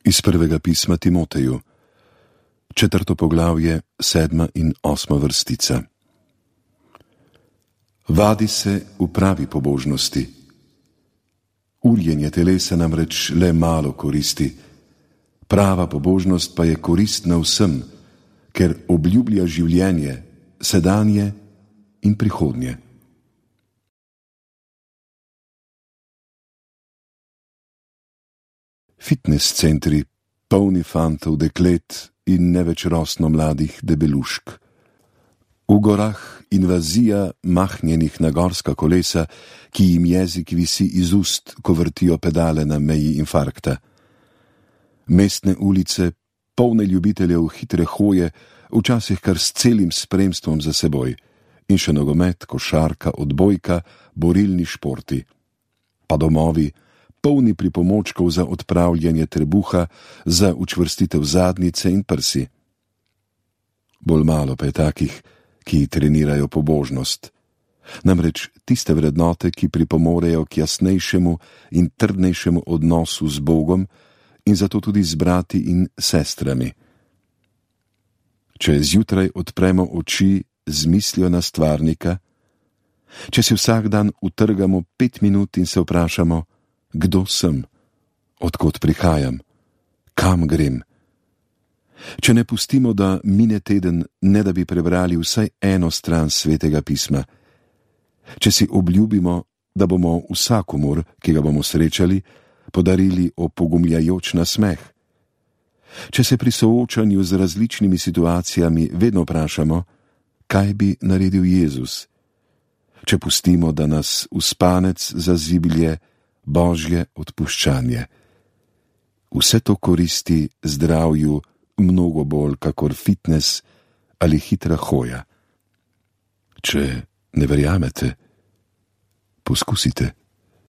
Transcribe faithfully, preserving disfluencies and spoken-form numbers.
Iz prvega pisma Timoteju, četrto poglavje, sedma in osma vrstica. Vadi se v pravi pobožnosti. Urjenje telesa namreč le malo koristi, prava pobožnost pa je koristna vsem, ker obljublja življenje, sedanje in prihodnje. Fitnes centri, polni fantov, deklet in ne več rosno mladih debelušk. V gorah invazija mahnjenih na gorska kolesa, ki jim jezik visi iz ust, ko vrtijo pedale na meji infarkta. Mestne ulice, polne ljubiteljev hitre hoje, včasih kar s celim spremstvom za seboj, in še nogomet, košarka, odbojka, borilni športi. Pa domovi, polni pripomočkov za odpravljanje trebuha, za učvrstitev zadnjice in prsi. Bolj malo pa je takih, ki trenirajo pobožnost. Namreč tiste vrednote, ki pripomorejo k jasnejšemu in trdnejšemu odnosu z Bogom in zato tudi z brati in sestrami. Če zjutraj odpremo oči z mislijo na stvarnika, če si vsak dan utrgamo pet minut in se vprašamo, kdo sem, odkot prihajam, kam grem. Če ne pustimo, da mine teden, ne da bi prebrali vsaj eno stran svetega pisma. Če si obljubimo, da bomo vsakomur, ki ga bomo srečali, podarili opogumljajoč nasmeh. Če se pri soočanju z različnimi situacijami vedno vprašamo, kaj bi naredil Jezus. Če pustimo, da nas v spanec zaziblje Božje odpuščanje. Vse to koristi zdravju mnogo bolj kakor fitnes ali hitra hoja. Če ne verjamete, poskusite.